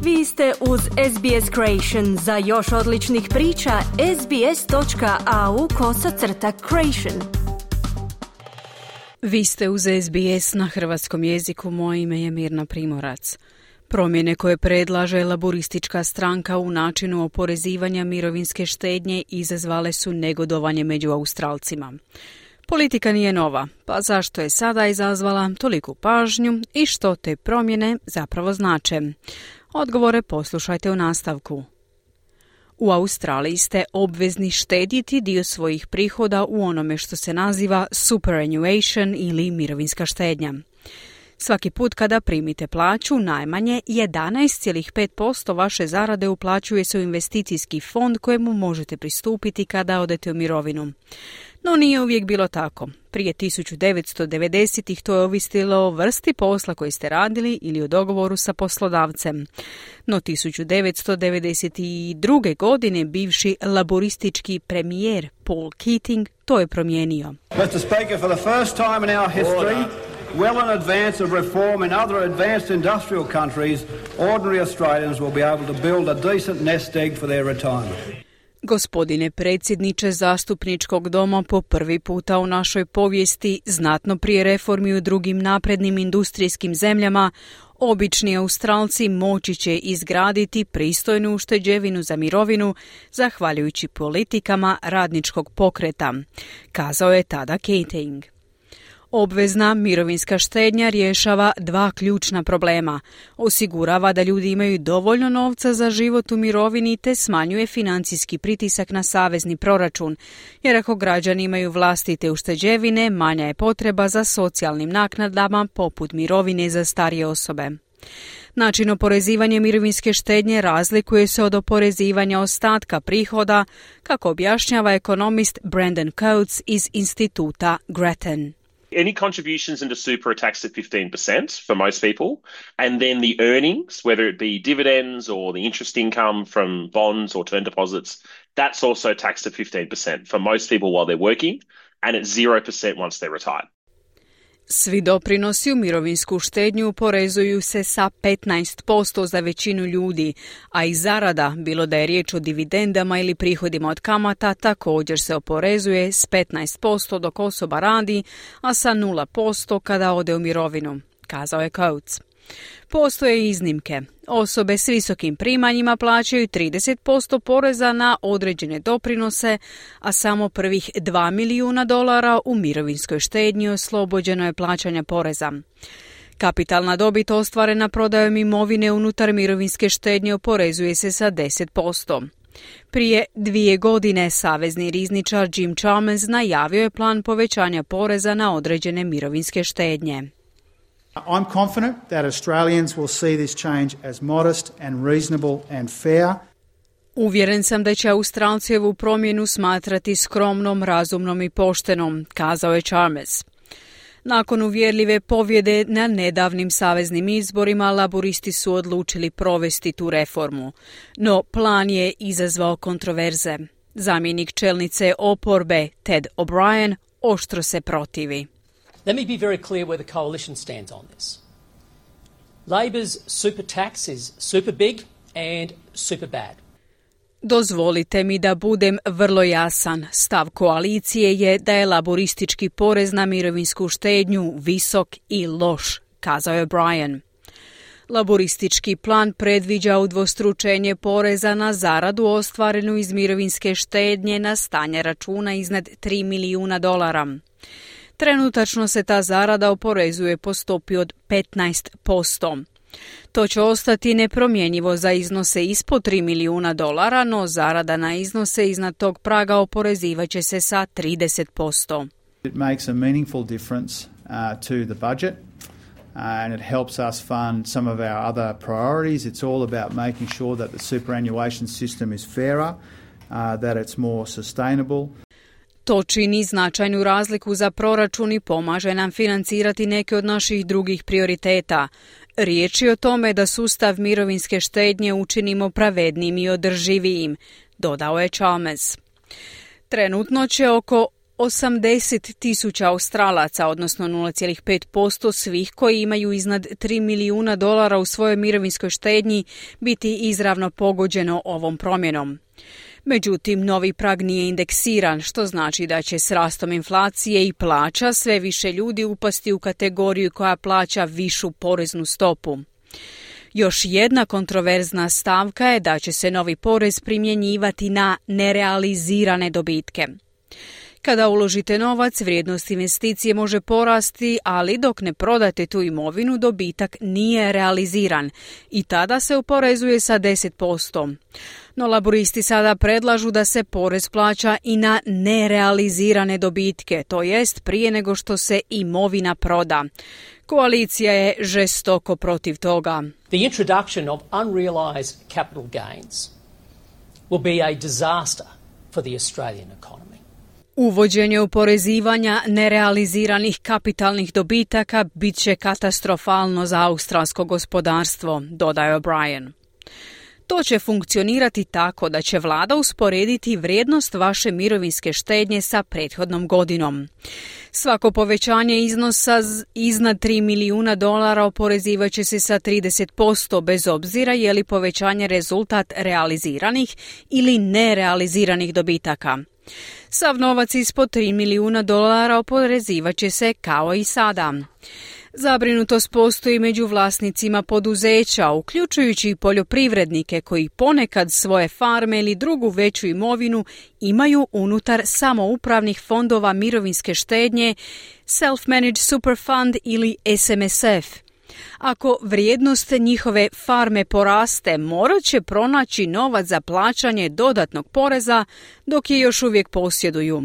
Vi ste uz SBS Creation. Za još odličnih priča, sbs.au/creation. Vi ste uz SBS na hrvatskom jeziku. Moje ime je Mirna Primorac. Promjene koje predlaže laboristička stranka u načinu oporezivanja mirovinske štednje izazvale su negodovanje među Australcima. Politika nije nova, pa zašto je sada izazvala toliku pažnju i što te promjene zapravo znače? Odgovore poslušajte u nastavku. U Australiji ste obvezni štediti dio svojih prihoda u onome što se naziva superannuation ili mirovinska štednja. Svaki put kada primite plaću, najmanje 11,5% vaše zarade uplaćuje se u investicijski fond kojemu možete pristupiti kada odete u mirovinu. No nije uvijek bilo tako. Prije 1990-ih to je ovisilo o vrsti posla koji ste radili ili o dogovoru sa poslodavcem. No 1992. godine bivši laboristički premijer Paul Keating to je promijenio. Mr. Speaker, for the first time in our history, well in advance of reform in other advanced industrial countries, ordinary Australians will be able to build a decent nest egg for their retirement. Gospodine predsjedniče zastupničkog doma, po prvi puta u našoj povijesti, znatno prije reformi u drugim naprednim industrijskim zemljama, obični Australci moći će izgraditi pristojnu ušteđevinu za mirovinu zahvaljujući politikama radničkog pokreta, kazao je tada Keating. Obvezna mirovinska štednja rješava dva ključna problema. Osigurava da ljudi imaju dovoljno novca za život u mirovini te smanjuje financijski pritisak na savezni proračun, jer ako građani imaju vlastite ušteđevine, manja je potreba za socijalnim naknadama poput mirovine za starije osobe. Način oporezivanja mirovinske štednje razlikuje se od oporezivanja ostatka prihoda, kako objašnjava ekonomist Brandon Coates iz instituta Grattan. Any contributions into super are taxed at 15% for most people, and then the earnings, whether it be dividends or the interest income from bonds or term deposits, that's also taxed at 15% for most people while they're working, and at 0% once they're retired. Svi doprinosi u mirovinsku štednju oporezuju se sa 15% za većinu ljudi, a i zarada, bilo da je riječ o dividendama ili prihodima od kamata, također se oporezuje s 15% dok osoba radi, a sa 0% kada ode u mirovinu, kazao je Coates. Postoje iznimke. Osobe s visokim primanjima plaćaju 30% poreza na određene doprinose, a samo prvih $2 milijuna u mirovinskoj štednji oslobođeno je plaćanja poreza. Kapitalna dobit ostvarena prodajom imovine unutar mirovinske štednje oporezuje se sa 10%. Prije 2 godine savezni rizničar Jim Chalmers najavio je plan povećanja poreza na određene mirovinske štednje. I'm confident that Australians will see this change as modest and reasonable and fair. Uvjeren sam da će Australci ovu promjenu smatrati skromnom, razumnom i poštenom, kazao je Chalmers. Nakon uvjerljive pobjede na nedavnim saveznim izborima, laboristi su odlučili provesti tu reformu. No plan je izazvao kontroverze. Zamjenik čelnice oporbe Ted O'Brien oštro se protivi. Let me be very clear where the coalition stands on this. Labor's super tax is super big and super bad. Dozvolite mi da budem vrlo jasan. Stav koalicije je da je laboristički porez na mirovinsku štednju visok i loš, kazao je O'Brien. Laboristički plan predviđa udvostručenje poreza na zaradu ostvarenu iz mirovinske štednje na stanje računa iznad $3 milijuna. Trenutačno se ta zarada oporezuje po stopi od 15%. To će ostati nepromjenjivo za iznose ispod $3 milijuna, no zarada na iznose iznad tog praga oporezivat će se sa 30%. It makes a meaningful difference to the budget and it helps us fund some of our other priorities. It's all about making sure that the superannuation system is fairer, that it's more sustainable. To čini značajnu razliku za proračun i pomaže nam financirati neke od naših drugih prioriteta. Riječ je o tome da sustav mirovinske štednje učinimo pravednim i održivijim, dodao je Chalmers. Trenutno će oko 80,000 Australaca, odnosno 0,5% svih koji imaju iznad $3 milijuna u svojoj mirovinskoj štednji, biti izravno pogođeno ovom promjenom. Međutim, novi prag nije indeksiran, što znači da će s rastom inflacije i plaća sve više ljudi upasti u kategoriju koja plaća višu poreznu stopu. Još jedna kontroverzna stavka je da će se novi porez primjenjivati na nerealizirane dobitke. Kada uložite novac, vrijednost investicije može porasti, ali dok ne prodate tu imovinu, dobitak nije realiziran i tada se oporezuje sa 10%. No laburisti sada predlažu da se porez plaća i na nerealizirane dobitke, to jest prije nego što se imovina proda. Koalicija je žestoko protiv toga. The introduction of unrealized capital gains will be a disaster for the Australian economy. Uvođenje oporezivanja nerealiziranih kapitalnih dobitaka bit će katastrofalno za australsko gospodarstvo, dodaje O'Brien. To će funkcionirati tako da će vlada usporediti vrijednost vaše mirovinske štednje sa prethodnom godinom. Svako povećanje iznosa iznad $3 milijuna oporezivat će se sa 30%, bez obzira je li povećanje rezultat realiziranih ili nerealiziranih dobitaka. Sav novac ispod $3 milijuna oporezivat će se kao i sada. Zabrinutost postoji među vlasnicima poduzeća, uključujući i poljoprivrednike koji ponekad svoje farme ili drugu veću imovinu imaju unutar samoupravnih fondova mirovinske štednje, Self-Managed Super Fund ili SMSF. Ako vrijednost njihove farme poraste, morat će pronaći novac za plaćanje dodatnog poreza dok je još uvijek posjeduju.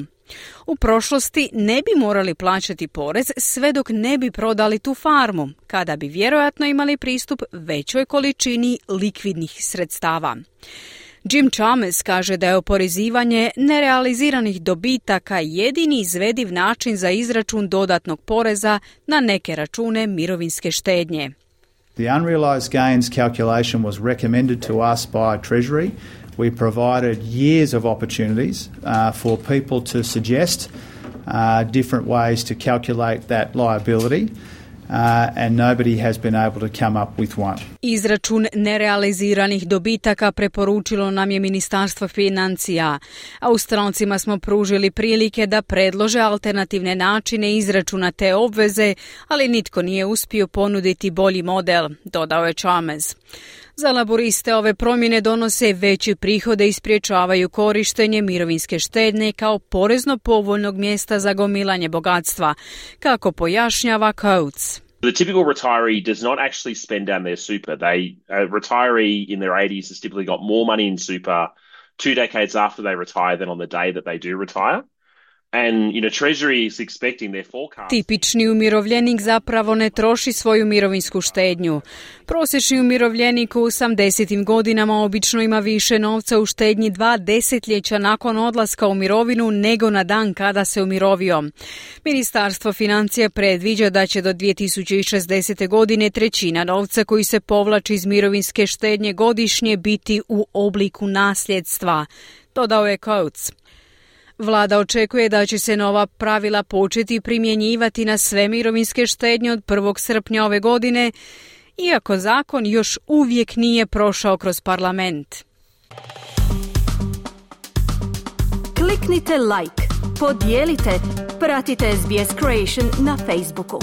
U prošlosti ne bi morali plaćati porez sve dok ne bi prodali tu farmu, kada bi vjerojatno imali pristup većoj količini likvidnih sredstava. Jim Chalmers kaže da je oporezivanje nerealiziranih dobitaka jedini izvediv način za izračun dodatnog poreza na neke račune mirovinske štednje. The unrealised gains calculation was recommended to us by Treasury. We provided years of opportunities for people to suggest different ways to calculate that liability. And nobody has been able to come up with one. Izračun nerealiziranih dobitaka preporučilo nam je Ministarstvo financija. Australcima smo pružili prilike da predlože alternativne načine izračuna te obveze, ali nitko nije uspio ponuditi bolji model, dodao je Chalmers. Za laboriste ove promjene donose veće prihode i sprječavaju korištenje mirovinske štednje kao porezno povoljnog mjesta za gomilanje bogatstva, kako pojašnjava Coates. The typical retiree does not actually spend down their super. A retiree in their 80s has typically got more money in super 2 decades after they retire than on the day that they do retire. And, Treasury is expecting their forecast. Tipični umirovljenik zapravo ne troši svoju mirovinsku štednju. Prosječni umirovljenik u 80. godinama obično ima više novca u štednji 2 desetljeća nakon odlaska u mirovinu nego na dan kada se umirovio. Ministarstvo financija predviđa da će do 2060. godine trećina novca koji se povlači iz mirovinske štednje godišnje biti u obliku nasljedstva, dodao je Coates. Vlada očekuje da će se nova pravila početi primjenjivati na sve mirovinske štednje od 1. srpnja ove godine, iako zakon još uvijek nije prošao kroz parlament. Kliknite like, podijelite, pratite SBS Creation na Facebooku.